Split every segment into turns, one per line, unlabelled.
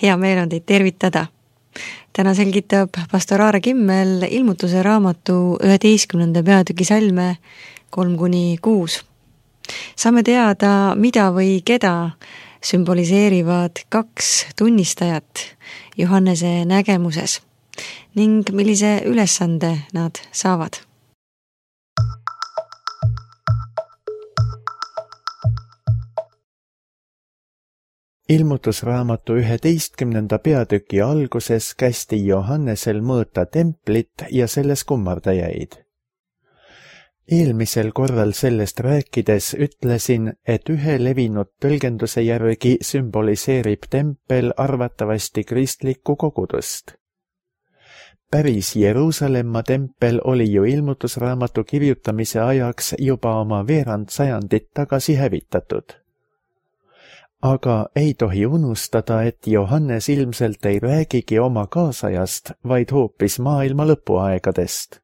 Hea meel on teid tervitada. Täna selgitab pastor Aare Kimmel ilmutuse raamatu 11. peatüki salme 3-6. Saame teada, mida või keda sümboliseerivad 2 tunnistajat Johannese nägemuses ning millise ülesande nad saavad.
Ilmutusraamatu 11. peatüki alguses kästi Johannesel mõõta templit ja selles kummardajaid. Eelmisel korral sellest rääkides ütlesin, et ühe levinud tõlgenduse järgi sümboliseerib tempel arvatavasti kristlikku kogudust. Päris Jeruusalemma tempel oli ju ilmutusraamatu kirjutamise ajaks juba oma veerand sajandit tagasi hävitatud. Aga ei tohi unustada, et Johannes ilmselt ei räägigi oma kaasajast, vaid hoopis maailma lõpuaegadest.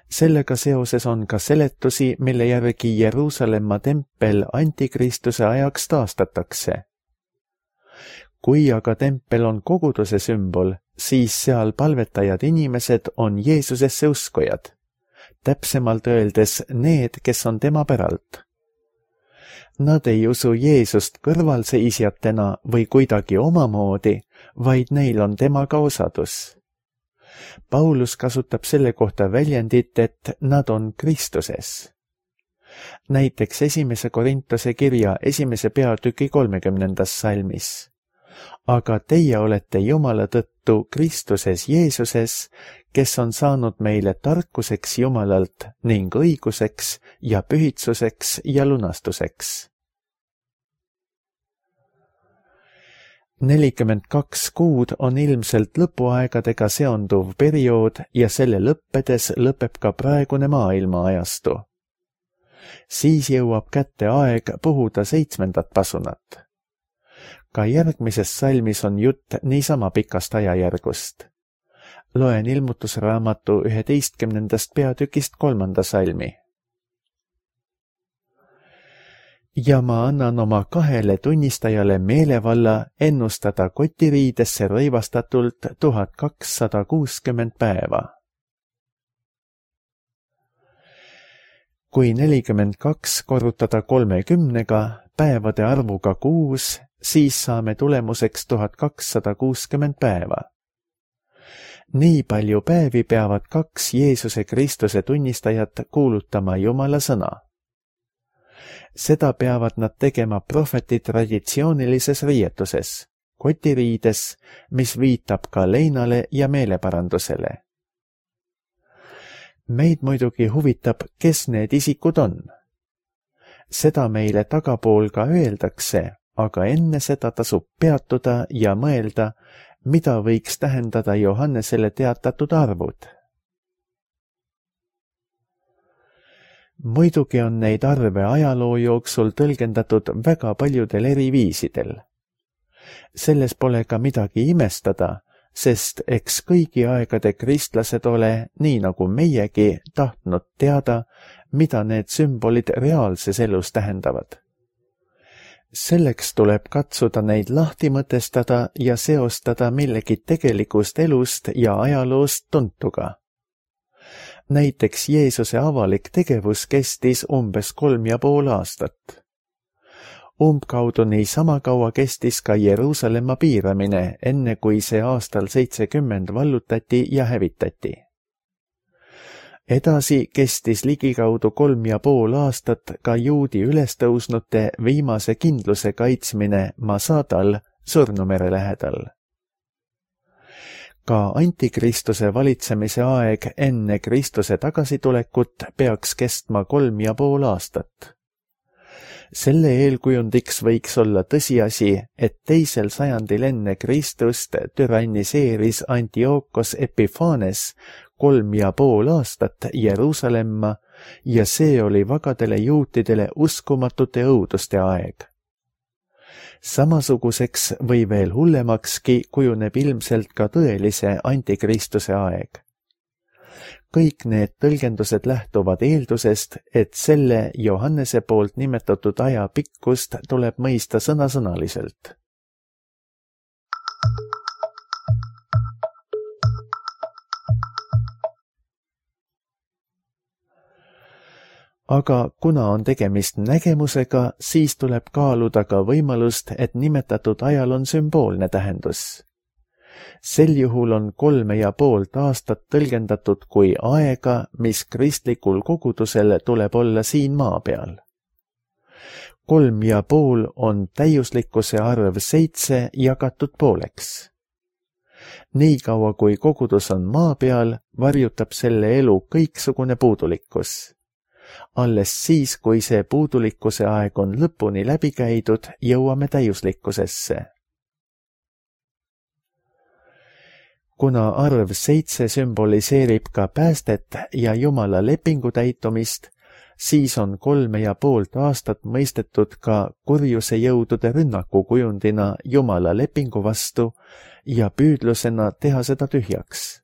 Sellega seoses on ka seletusi, mille järgi Jeruusalemma tempel antikristuse ajaks taastatakse. Kui aga tempel on koguduse sümbol, siis seal palvetajad inimesed on Jeesusesse uskujad, täpsemalt öeldes need, kes on tema päralt. Nad ei usu Jeesust kõrvalseisjatena või kuidagi omamoodi, vaid neil on temaga osadus. Paulus kasutab selle kohta väljendit, et nad on Kristuses. Näiteks 1. Korintuse kirja 1. peatüki 30. salmis. Aga teie olete Jumala tõttu Kristuses Jeesuses, kes on saanud meile tarkuseks Jumalalt ning õiguseks ja pühitsuseks ja lunastuseks. 42 kuud on ilmselt lõpuaegadega seonduv periood ja selle lõppedes lõpeb ka praegune maailma ajastu. Siis jõuab kätte aeg puhuda 7. pasunat. Ka järgmises salmis on jutt niisama pikast ajajärgust. Loen ilmutusraamatu 11. peatükist 3. salmi. Ja ma annan oma 2 tunnistajale meelevalla ennustada kotiriidesse rõivastatult 1260 päeva. Kui 42 korrutada 30 päevade arvuga 6, siis saame tulemuseks 1260 päeva. Nii palju päevi peavad 2 Jeesuse Kristuse tunnistajat kuulutama Jumala sõna. Seda peavad nad tegema prohveti traditsioonilises riietuses, kotiriides, mis viitab ka leinale ja meeleparandusele. Meid muidugi huvitab, kes need isikud on. Seda meile tagapool ka öeldakse, aga enne seda tasub peatuda ja mõelda, mida võiks tähendada Johannesele teatatud arvud. Muidugi on neid arve ajaloo jooksul tõlgendatud väga paljudel eri viisidel. Selles pole ka midagi imestada, sest eks kõigi aegade kristlased ole, nii nagu meiegi, tahtnud teada, mida need sümbolid reaalses elus tähendavad. Selleks tuleb katsuda neid lahti mõtestada ja seostada millegi tegelikust elust ja ajaloost tuntuga. Näiteks Jeesuse avalik tegevus kestis umbes 3,5 aastat. Umbkaudu niisama kaua kestis ka Jeruusalemma piiramine, enne kui see aastal 70 vallutati ja hävitati. Edasi kestis ligikaudu 3,5 aastat ka juudi ülestõusnute viimase kindluse kaitsmine Masadal Surnumere lähedal. Ka antikristuse valitsemise aeg enne Kristuse tagasitulekut peaks kestma 3,5 aastat. Selle eelkujundiks võiks olla tõsiasi, et 2. sajandil enne Kristust türanniseeris Antiochos Epiphanes 3,5 aastat Jeruusalemma ja see oli vagadele juutidele uskumatute õuduste aeg. Samasuguseks või veel hullemakski kujuneb ilmselt ka tõelise antikristuse aeg. Kõik need tõlgendused lähtuvad eeldusest, et selle Johannese poolt nimetatud aja pikkust tuleb mõista sõnasõnaliselt. aga kuna on tegemist nägemusega, siis tuleb kaaluda ka võimalust, et nimetatud ajal on sümboolne tähendus. Sel juhul on 3,5 aastat tõlgendatud kui aega, mis kristlikul kogudusel tuleb olla siin maa peal. 3,5 on täiuslikkuse arv 7 jagatud pooleks. Niikaua kui kogudus on maa peal, varjutab selle elu kõiksugune puudulikkus. Alles siis, kui see puudulikkuse aeg on lõpuni läbi käidud, jõuame täiuslikkusesse. Kuna arv 7 sümboliseerib ka päästet ja Jumala lepingu täitumist, siis on 3,5 aastat mõistetud ka kurjuse jõudude rünnaku kujundina Jumala lepingu vastu ja püüdlusena teha seda tühjaks.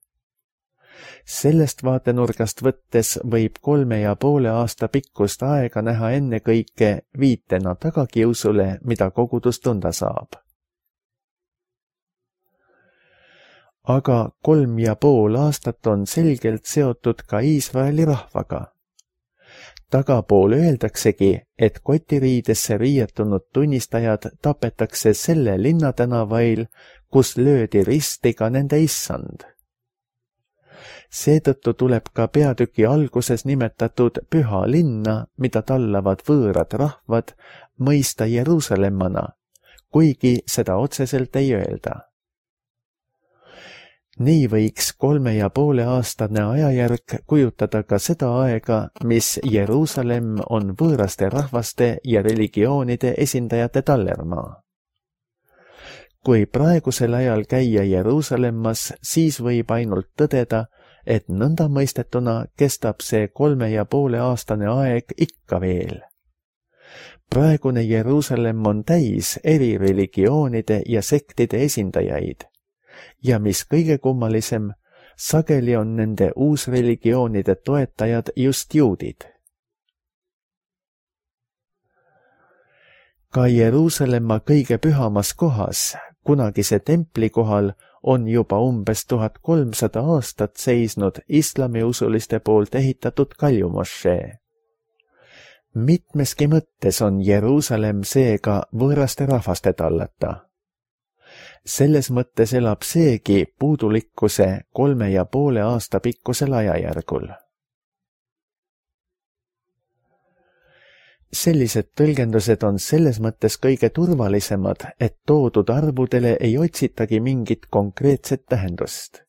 Sellest vaatenurgast võttes võib 3,5 aasta pikkust aega näha ennekõike viitena tagakiusule, mida kogudus tunda saab. Aga 3,5 aastat on selgelt seotud ka Iisraeli rahvaga. Tagapool öeldaksegi, et kotiriidesse riietunud tunnistajad tapetakse selle linnatänavail, kus löödi risti ka nende issand. Seetõttu tuleb ka peatüki alguses nimetatud püha linna, mida tallavad võõrad rahvad, mõista Jeruusalemmana, kuigi seda otseselt ei öelda. Nii võiks 3,5 aastane ajajärk kujutada ka seda aega, mis Jeruusalemm on võõraste rahvaste ja religioonide esindajate tallermaa. Kui praegusel ajal käia Jeruusalemmas, siis võib ainult tõdeda, et nõnda mõistetuna kestab see 3,5 aastane aeg ikka veel. Praegune Jeruusalemm on täis eri religioonide ja sektide esindajaid. Ja mis kõige kummalisem, sageli on nende uusreligioonide toetajad just juudid. Ka Jeruusalemma kõige pühamas kohas, kunagise templi kohal, on juba umbes 1300 aastat seisnud islamiusuliste poolt ehitatud kaljumošee. Mitmeski mõttes on Jeruusalemm seega võõraste rahvaste tallata. Selles mõttes elab seegi puudulikkuse 3,5 aasta pikkusel ajajärgul. Sellised tõlgendused on selles mõttes kõige turvalisemad, et toodud arvudele ei otsitagi mingit konkreetset tähendust.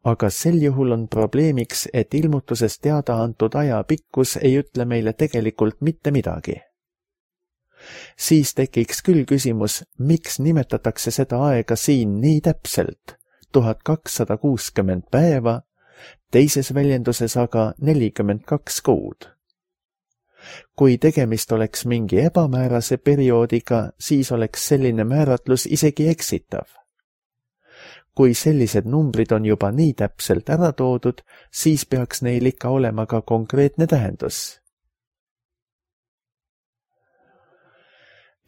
Aga sel juhul on probleemiks, et ilmutuses teada antud aja pikkus ei ütle meile tegelikult mitte midagi. Siis tekiks küll küsimus, miks nimetatakse seda aega siin nii täpselt, 1260 päeva, teises väljenduses aga 42 kuud. Kui tegemist oleks mingi ebamäärase perioodiga, siis oleks selline määratlus isegi eksitav. Kui sellised numbrid on juba nii täpselt ära toodud, siis peaks neil ikka olema ka konkreetne tähendus.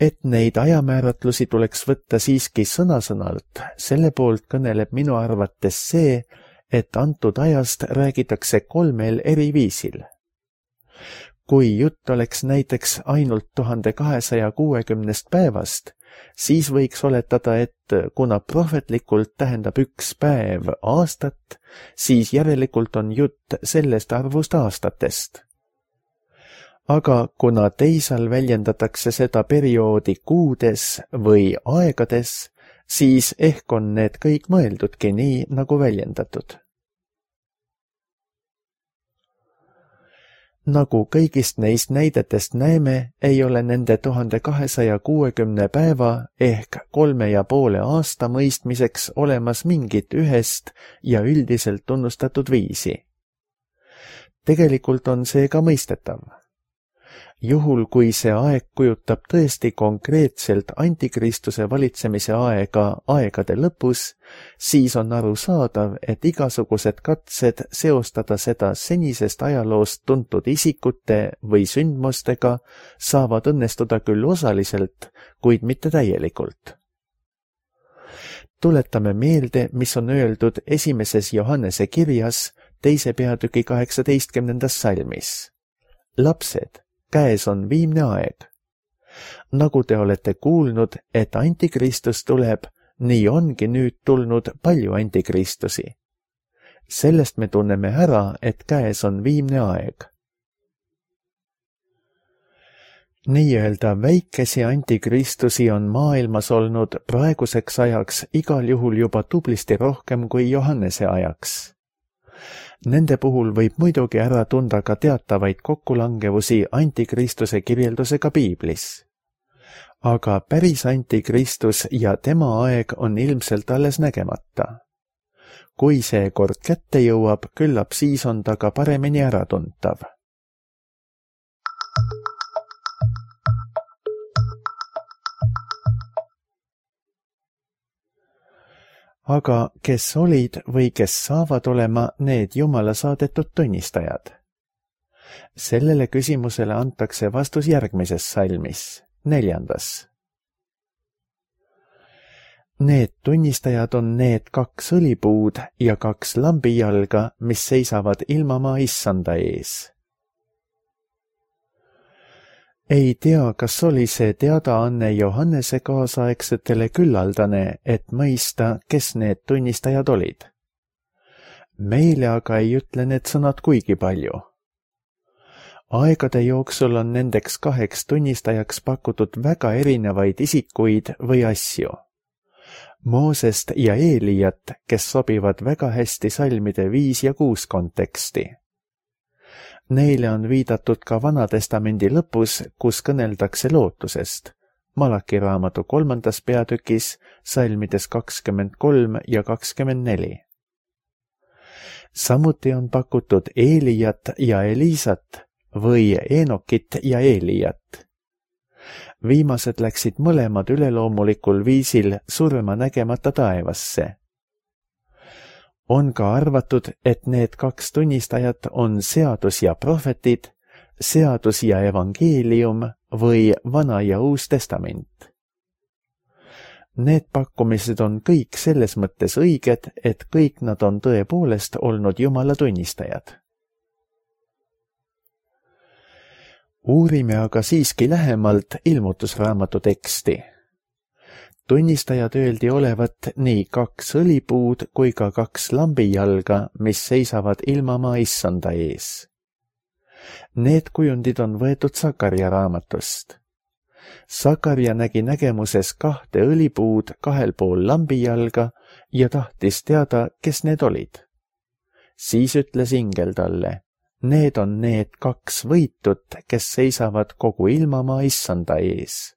Et neid ajamääratlusi tuleks võtta siiski sõna-sõnalt, selle poolt kõneleb minu arvates see, et antud ajast räägitakse 3 eri viisil. Kui jutt oleks näiteks ainult 1260 päevast, siis võiks oletada, et kuna prohvetlikult tähendab üks päev aastat, siis järelikult on jutt sellest arvust aastatest. Aga kuna teisal väljendatakse seda perioodi kuudes või aegades, siis ehk on need kõik mõeldudki nii, nagu väljendatud. Nagu kõigist neist näidetest näeme, ei ole nende 1260 päeva ehk 3,5 aasta mõistmiseks olemas mingit ühest ja üldiselt tunnustatud viisi. Tegelikult on see ka mõistetav. Juhul, kui see aeg kujutab tõesti konkreetselt antikristuse valitsemise aega aegade lõpus, siis on arusaadav, et igasugused katsed seostada seda senisest ajaloost tuntud isikute või sündmustega saavad õnnestuda küll osaliselt, kuid mitte täielikult. Tuletame meelde, mis on öeldud esimeses Johannese kirjas 2. peatüki 18. salmis. lapsed, käes on viimne aeg. Nagu te olete kuulnud, et antikristus tuleb, nii ongi nüüd tulnud palju antikristusi. Sellest me tunneme ära, et käes on viimne aeg. Nii-öelda väikesi antikristusi on maailmas olnud praeguseks ajaks igal juhul juba tublisti rohkem kui Johannese ajaks. Nende puhul võib muidugi ära tunda ka teatavaid kokkulangevusi antikristuse kirjeldusega piiblis. Aga päris antikristus ja tema aeg on ilmselt alles nägemata. Kui see kord kätte jõuab, küllap siis on ta ka paremini äratuntav. Aga kes olid või kes saavad olema need Jumala saadetud tunnistajad? Sellele küsimusele antakse vastus järgmises salmis, 4. Need tunnistajad on need 2 õlipuud ja 2 lambijalga, mis seisavad ilmamaa issanda ees. Ei tea, kas oli see teadaanne Johannese kaasaegsetele küllaldane, et mõista, kes need tunnistajad olid. Meile aga ei ütle need sõnad kuigi palju. Aegade jooksul on nendeks 2 tunnistajaks pakutud väga erinevaid isikuid või asju. Moosest ja Eeliat, kes sobivad väga hästi salmide 5 ja 6 konteksti. Neile on viidatud ka Vanatestamendi lõpus, kus kõneldakse lootusest, Malaki raamatu 3. peatükis, salmides 23 ja 24. Samuti on pakutud Eeliat ja Elisat või Enokit ja Eeliat. Viimased läksid mõlemad üleloomulikul viisil surma nägemata taevasse. On ka arvatud, et need 2 tunnistajat on seadus ja prohvetid, seadus ja evangeelium või Vana ja Uus Testament. Need pakkumised on kõik selles mõttes õiged, et kõik nad on tõepoolest olnud Jumala tunnistajad. Uurime aga siiski lähemalt ilmutusraamatu teksti. Tunnistajad öeldi olevat nii 2 õlipuud kui ka 2 lambijalga, mis seisavad ilmamaa issanda ees. Need kujundid on võetud Sakarja raamatust. Sakarja nägi nägemuses 2 õlipuud 2 pool lambijalga ja tahtis teada, kes need olid. Siis ütles ingel talle, need on need 2 võitut, kes seisavad kogu ilmamaa issanda ees.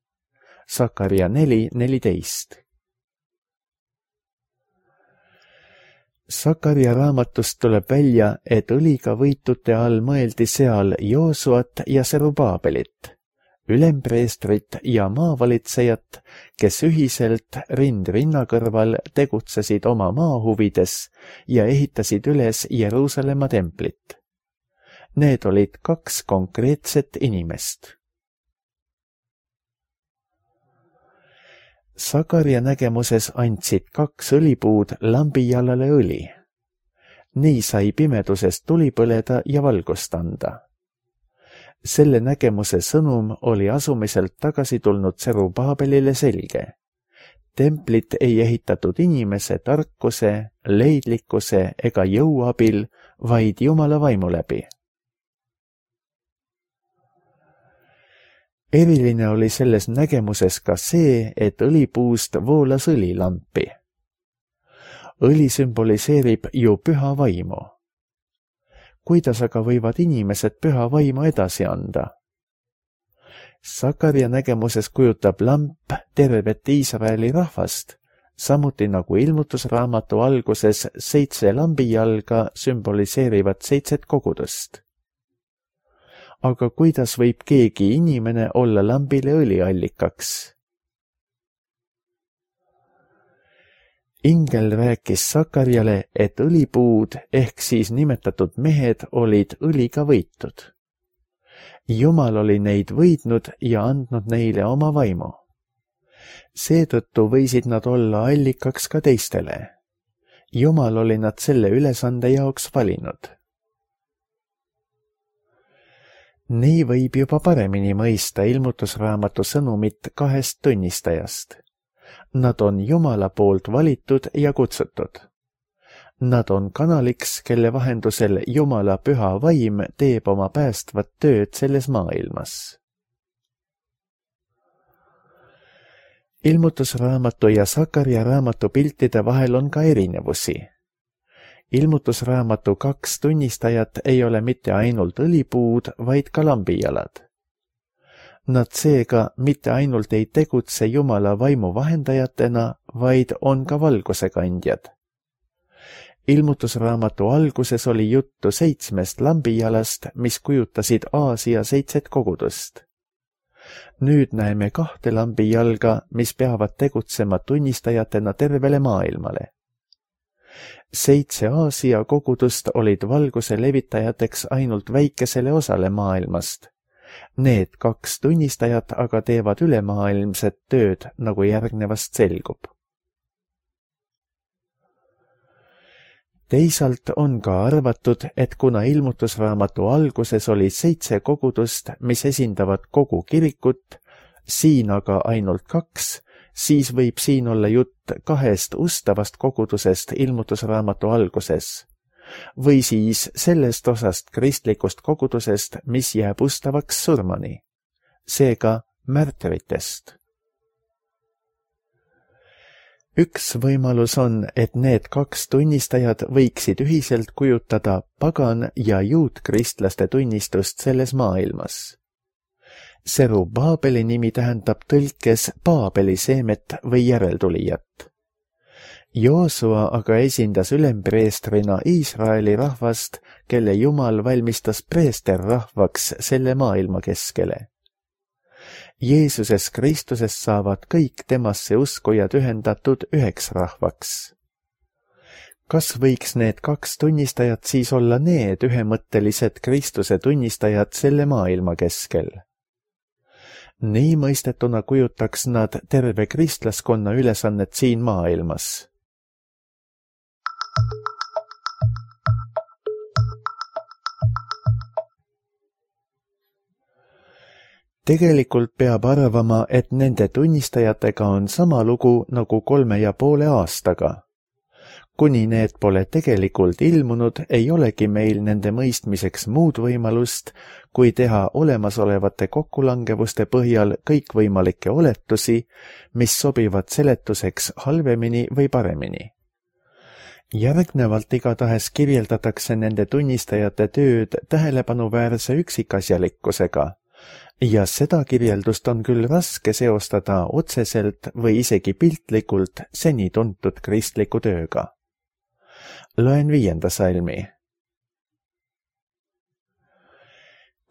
Sakarja 4:14. Sakarja raamatust tuleb välja, et õliga võitute all mõeldi seal Joosuat ja Serubaabelit, ülempreestrit ja maavalitsejat, kes ühiselt rind rinna kõrval tegutsesid oma maa huvides ja ehitasid üles Jeruusalemma templit. Need olid 2 konkreetset inimest. Sakarja nägemuses andsid 2 õlipuud lambijalale õli. Nii sai pimeduses tuli põleda ja valgust anda. Selle nägemuse sõnum oli asumiselt tagasi tulnud Serubaabelile selge. Templit ei ehitatud inimese tarkuse, leidlikkuse ega jõu abil, vaid Jumala vaimu läbi. Eriline oli selles nägemuses ka see, et õlipuust voolas õlilampi. Õli sümboliseerib ju püha vaimu. Kuidas aga võivad inimesed püha vaimu edasi anda? Sakarja nägemuses kujutab lamp tervet Iisraeli rahvast, samuti nagu ilmutusraamatu alguses 7 lambijalga sümboliseerivad 7 kogudust. Aga kuidas võib keegi inimene olla lambile õliallikaks? Ingel rääkis Sakarjale, et õlipuud ehk siis nimetatud mehed olid õliga võitud. Jumal oli neid võidnud ja andnud neile oma vaimu. Seetõttu võisid nad olla allikaks ka teistele. Jumal oli nad selle ülesande jaoks valinud. Nii võib juba paremini mõista ilmutusraamatu sõnumit kahest tunnistajast. Nad on Jumala poolt valitud ja kutsutud. Nad on kanaliks, kelle vahendusel Jumala püha vaim teeb oma päästvat tööd selles maailmas. Ilmutusraamatu ja Sakarja raamatu piltide vahel on ka erinevusi. Ilmutusraamatu 2 tunnistajat ei ole mitte ainult õlipuud, vaid ka lambijalad. Nad seega mitte ainult ei tegutse Jumala vaimu vahendajatena, vaid on ka valguse kandjad. Ilmutusraamatu alguses oli juttu 7 lambijalast, mis kujutasid Aasia 7 kogudust. Nüüd näeme 2 lambijalga, mis peavad tegutsema tunnistajatena tervele maailmale. 7 Aasia kogudust olid valguse levitajateks ainult väikesele osale maailmast. Need 2 tunnistajat aga teevad ülemaailmset tööd, nagu järgnevast selgub. Teisalt on ka arvatud, et kuna ilmutusraamatu alguses oli 7 kogudust, mis esindavad kogu kirikut, siin aga ainult 2, siis võib siin olla jutt 2 ustavast kogudusest ilmutusraamatu alguses, või siis sellest osast kristlikust kogudusest, mis jääb ustavaks surmani, seega märtritest. Üks võimalus on, et need 2 tunnistajad võiksid ühiselt kujutada pagan- ja juutkristlaste tunnistust selles maailmas. Serubaabeli nimi tähendab tõlkes Paabeli seemet või järeltulijat. Joosua aga esindas ülempreestrina Iisraeli rahvast, kelle Jumal valmistas preesterrahvaks selle maailma keskele. Jeesuses Kristuses saavad kõik temasse uskujad ühendatud üheks rahvaks. Kas võiks need 2 tunnistajat siis olla need ühemõttelised Kristuse tunnistajad selle maailma keskel? Nii mõistetuna kujutaks nad terve kristlaskonna ülesannet siin maailmas. Tegelikult peab arvama, et nende tunnistajatega on sama lugu nagu 3,5 aastaga. Kuni need pole tegelikult ilmunud, ei olegi meil nende mõistmiseks muud võimalust, kui teha olemasolevate kokkulangevuste põhjal kõikvõimalikke oletusi, mis sobivad seletuseks halvemini või paremini. Järgnevalt igatahes kirjeldatakse nende tunnistajate tööd tähelepanuväärse üksikasjalikkusega, ja seda kirjeldust on küll raske seostada otseselt või isegi piltlikult seni tuntud kristliku tööga. Loen 5. salmi.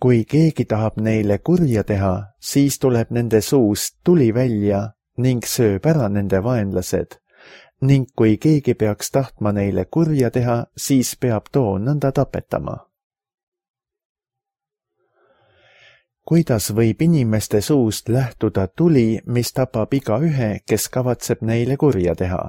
Kui keegi tahab neile kurja teha, siis tuleb nende suust tuli välja ning sööb ära nende vaenlased, ning kui keegi peaks tahtma neile kurja teha, siis peab too nõnda tapetama. Kuidas võib inimeste suust lähtuda tuli, mis tapab igaühe, kes kavatseb neile kurja teha?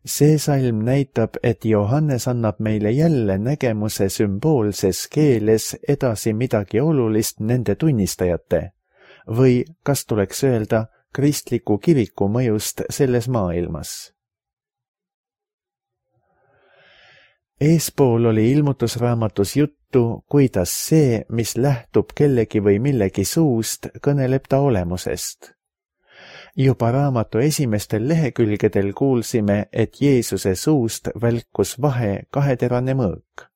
See salm näitab, et Johannes annab meile jälle nägemuse sümboolses keeles edasi midagi olulist nende tunnistajate või, kas tuleks öelda, kristliku kiriku mõjust selles maailmas. Eespool oli ilmutusraamatus juttu, kuidas see, mis lähtub kellegi või millegi suust, kõneleb ta olemusest. Juba raamatu esimestel lehekülgedel kuulsime, et Jeesuse suust välkus vahe 2-terane mõõk.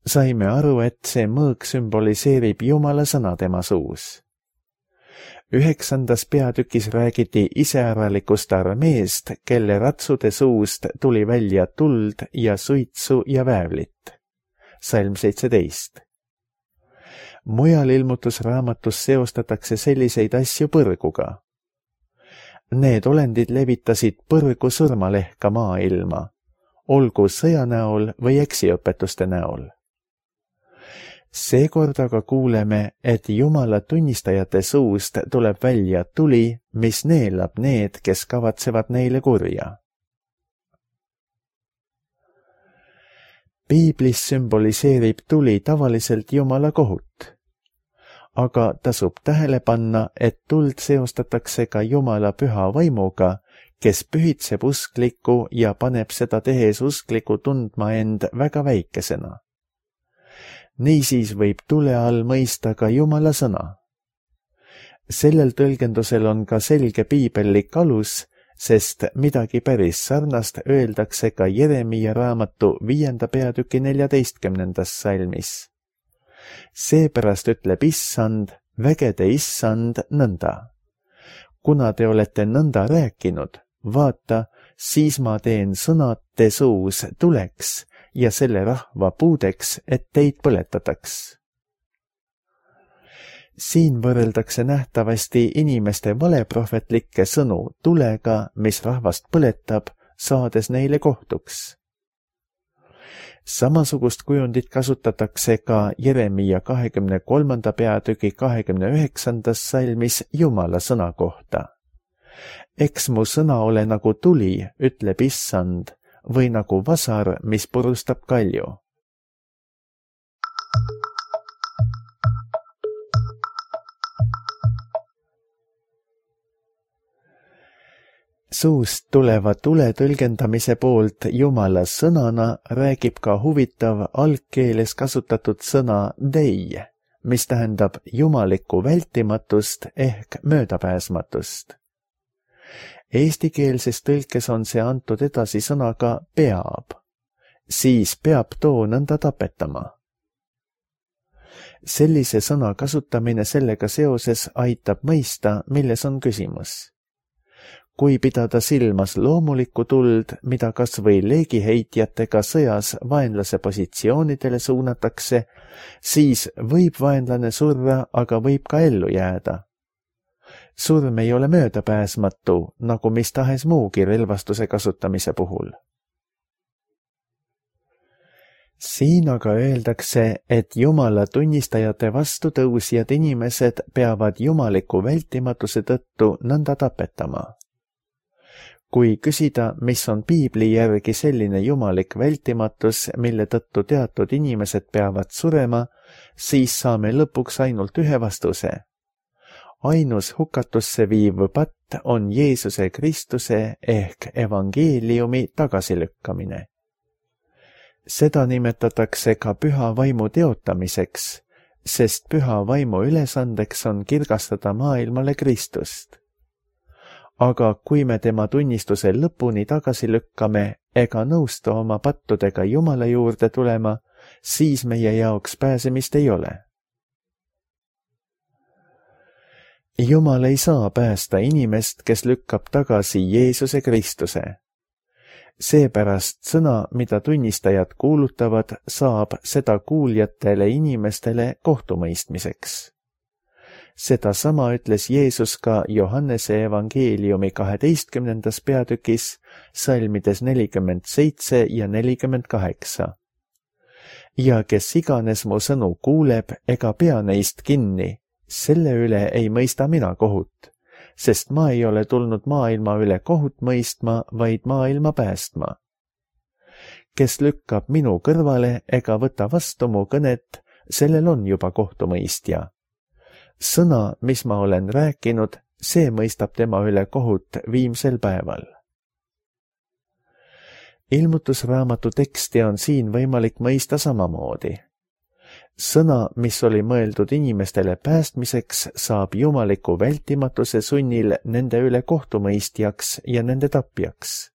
Saime aru, et see mõõk sümboliseerib Jumala sõna tema suus. 9. peatükis räägiti iseäralikust armeest, kelle ratsude suust tuli välja tuld ja suitsu ja väävlit. Salm 17. Mujal ilmutusraamatus seostatakse selliseid asju põrguga. Need olendid levitasid põrgu surmalehka maailma, olgu sõja näol või eksiõpetuste näol. Seekord aga kuuleme, et Jumala tunnistajate suust tuleb välja tuli, mis neelab need, kes kavatsevad neile kurja. Piiblis sümboliseerib tuli tavaliselt Jumala kohut. Aga tasub tähele panna, et tuld seostatakse ka Jumala püha vaimuga, kes pühitseb usklikku ja paneb seda tehes usklikku tundma end väga väikesena. Niisiis võib tule all mõista ka Jumala sõna. Sellel tõlgendusel on ka selge piibellik alus, sest midagi päris sarnast öeldakse ka Jeremiia raamatu 5. peatüki 14. salmis. Seepärast ütleb Issand, vägede Issand nõnda. Kuna te olete nõnda rääkinud, vaata, siis ma teen sõnad te suus tuleks ja selle rahva puudeks, et teid põletataks. Siin võrreldakse nähtavasti inimeste valeprohvetlikke sõnu tulega, mis rahvast põletab, saades neile kohtuks. Samasugust kujundit kasutatakse ka Jeremiia 23. peatüki 29. salmis Jumala sõna kohta. Eks mu sõna ole nagu tuli, ütleb Issand, või nagu vasar, mis purustab kalju. Suust tuleva tule tõlgendamise poolt Jumala sõnana räägib ka huvitav algkeeles kasutatud sõna dei, mis tähendab jumalikku vältimatust ehk möödapääsmatust. Eestikeelses tõlkes on see antud edasi sõnaga peab, siis peab too nõnda tapetama. Sellise sõna kasutamine sellega seoses aitab mõista, milles on küsimus. Kui pidada silmas loomulikku tuld, mida kas või leegiheitjatega sõjas vaenlase positsioonidele suunatakse, siis võib vaenlane surra, aga võib ka ellu jääda. Surm ei ole möödapääsmatu, nagu mis tahes muugi relvastuse kasutamise puhul. Siin aga öeldakse, et Jumala tunnistajate vastu tõusjad inimesed peavad jumaliku vältimatuse tõttu nõnda tapetama. Kui küsida, mis on piibli järgi selline jumalik vältimatus, mille tõttu teatud inimesed peavad surema, siis saame lõpuks ainult ühe vastuse. Ainus hukatusse viiv patt on Jeesuse Kristuse ehk evangeeliumi tagasilükkamine. Seda nimetatakse ka püha vaimu teotamiseks, sest püha vaimu ülesandeks on kirgastada maailmale Kristust. Aga kui me tema tunnistuse lõpuni tagasi lükkame ega nõustu oma pattudega Jumala juurde tulema, siis meie jaoks pääsemist ei ole. Jumal ei saa päästa inimest, kes lükkab tagasi Jeesuse Kristuse. Seepärast sõna, mida tunnistajad kuulutavad, saab seda kuuljatele inimestele kohtumõistmiseks. Seda sama ütles Jeesus ka Johannese evangeeliumi 12. peatükis, salmides 47 ja 48. Ja kes iganes mu sõnu kuuleb ega pea neist kinni, selle üle ei mõista mina kohut, sest ma ei ole tulnud maailma üle kohut mõistma, vaid maailma päästma. Kes lükkab minu kõrvale ega võta vastu mu kõnet, sellel on juba kohtumõistja. Sõna, mis ma olen rääkinud, see mõistab tema üle kohut viimsel päeval. Ilmutusraamatu teksti on siin võimalik mõista samamoodi. Sõna, mis oli mõeldud inimestele päästmiseks, saab jumaliku vältimatuse sunnil nende üle kohtumõistjaks ja nende tapjaks.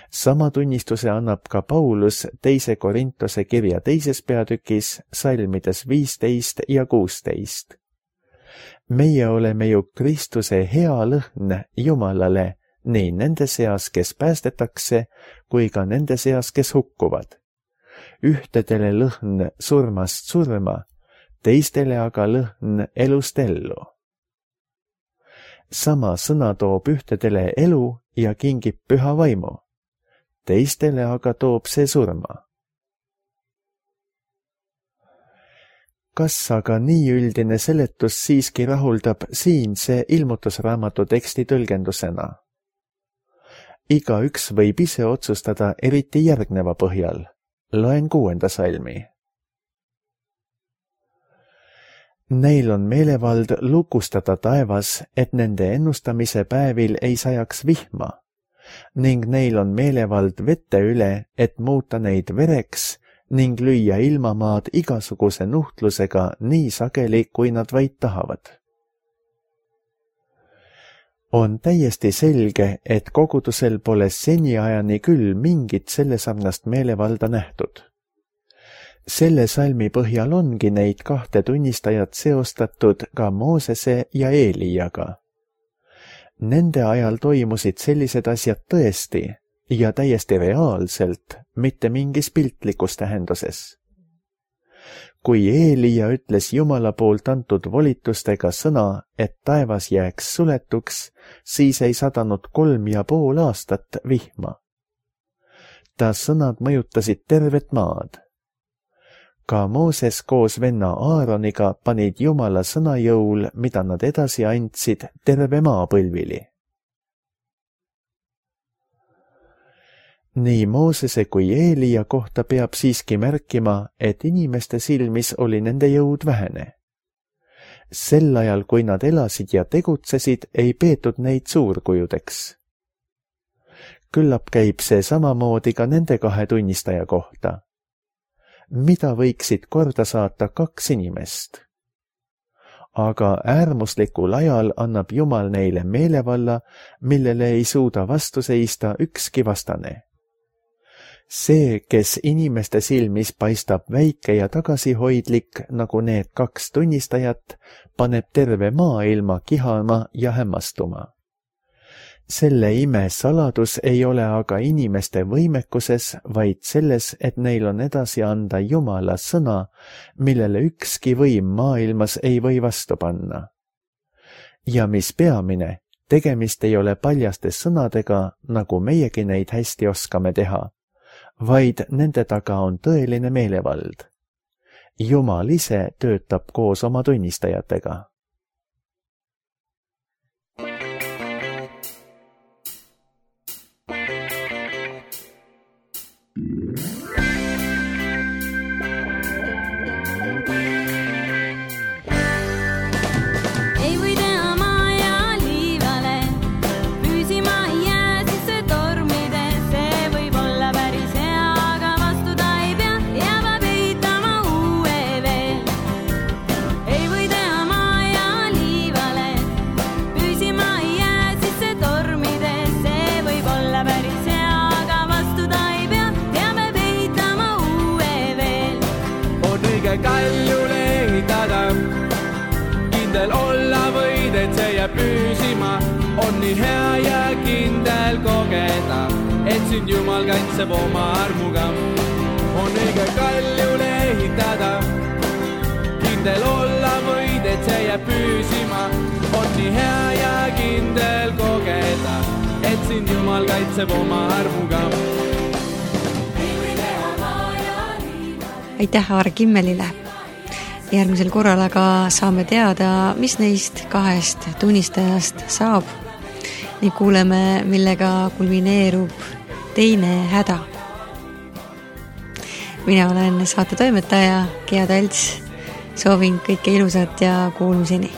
Sama tunnistuse annab ka Paulus 2. Korintuse kirja 2. peatükis, salmides 15 ja 16. Meie oleme ju Kristuse hea lõhn Jumalale, nii nende seas, kes päästetakse, kui ka nende seas, kes hukkuvad. Ühtedele lõhn surmast surma, teistele aga lõhn elust ellu. Sama sõna toob ühtedele elu ja kingib püha vaimu, teistele aga toob see surma. Kas aga nii üldine seletus siiski rahuldab siinse ilmutusraamatu teksti tõlgendusena? Igaüks võib ise otsustada eriti järgneva põhjal. Loen 6. salmi. Neil on meelevald lukustada taevas, et nende ennustamise päevil ei sajaks vihma, ning neil on meelevald vette üle, et muuta neid vereks ning lüüa ilmamaad igasuguse nuhtlusega nii sageli, kui nad vaid tahavad. On täiesti selge, et kogudusel pole seniajani küll mingit sellesarnast meelevalda nähtud. Selle salmi põhjal ongi neid 2 tunnistajat seostatud ka Moosese ja Eeliaga. Nende ajal toimusid sellised asjad tõesti ja täiesti reaalselt, mitte mingis piltlikus tähenduses. Kui Eelia ütles Jumala poolt antud volitustega sõna, et taevas jääks suletuks, siis ei sadanud 3,5 aastat vihma. Ta sõnad mõjutasid tervet maad. Ka Mooses koos venna Aaroniga panid Jumala sõna jõul, mida nad edasi andsid terve maa põlvili. Nii Moosese kui Eelia kohta peab siiski märkima, et inimeste silmis oli nende jõud vähene. Sel ajal, kui nad elasid ja tegutsesid, ei peetud neid suurkujudeks. Küllap käib see samamoodi ka nende 2 tunnistaja kohta. Mida võiksid korda saata 2 inimest? Aga äärmuslikul ajal annab Jumal neile meelevalla, millele ei suuda vastu seista ükski vastane. See, kes inimeste silmis paistab väike ja tagasihoidlik, nagu need 2 tunnistajat, paneb terve maailma kihama ja hämmastuma. Selle ime saladus ei ole aga inimeste võimekuses, vaid selles, et neil on edasi anda Jumala sõna, millele ükski võim maailmas ei või vastu panna. Ja mis peamine, tegemist ei ole paljaste sõnadega, nagu meiegi neid hästi oskame teha, vaid nende taga on tõeline meelevald. Jumal ise töötab koos oma tunnistajatega.
Kaljule ehitada, kindel olla võid, et see jääb püsima. On nii hea ja kindel kogeda, et sind Jumal kaitseb oma armuga. On õige kaljule ehitada, kindel olla võid, et see jääb püsima. On nii hea ja kindel kogeda, et sind Jumal kaitseb oma armuga.
Aitäh Aare Kimmelile. Järgmisel korral aga saame teada, mis neist 2 tunnistajast saab ning kuuleme, millega kulmineerub teine häda. Mina olen saate toimetaja Gea Talts. Soovin kõike ilusat ja kuulmiseni.